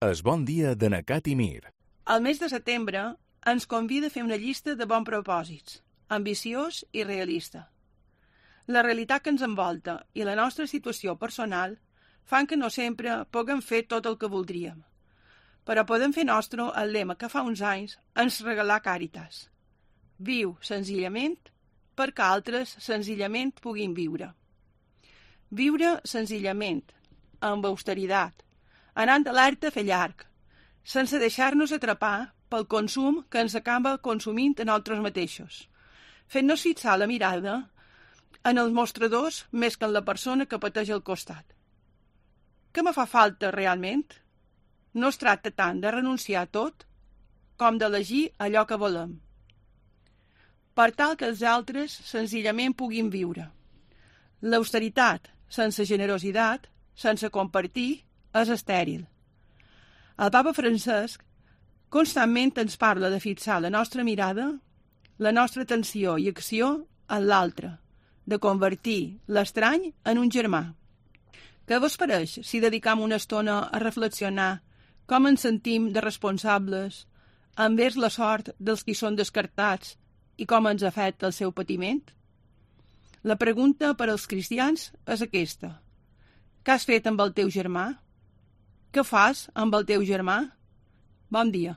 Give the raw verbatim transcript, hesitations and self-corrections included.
Es bon dia de Nacat i Mir. El mes de setembre ens convida a fer una llista de bons propòsits, ambiciós i realista. La realitat que ens envolta i la nostra situació personal fan que no sempre puguem fer tot el que voldríem, però podem fer nostre el lema que fa uns anys ens regalà Càritas. Viu senzillament perquè altres senzillament puguin viure. Viure senzillament, amb austeritat, anant alerta a fer llarg, sense deixar-nos atrapar pel consum que ens acaba consumint a nosaltres mateixos, fent-nos fixar la mirada en els mostradors més que en la persona que pateix al costat. Què me fa falta realment? No es tracta tant de renunciar a tot com d'elegir allò que volem, per tal que els altres senzillament puguin viure. L'austeritat sense generositat, sense compartir, és estèril. El papa Francesc constantment ens parla de fixar la nostra mirada, la nostra atenció i acció en l'altre, de convertir l'estrany en un germà. Què vos pareix si dedicam una estona a reflexionar com ens sentim de responsables envers la sort dels qui són descartats i com ens afecta el seu patiment? La pregunta per als cristians és aquesta. Què has fet amb el teu germà? Què fas amb el teu germà? Bon dia.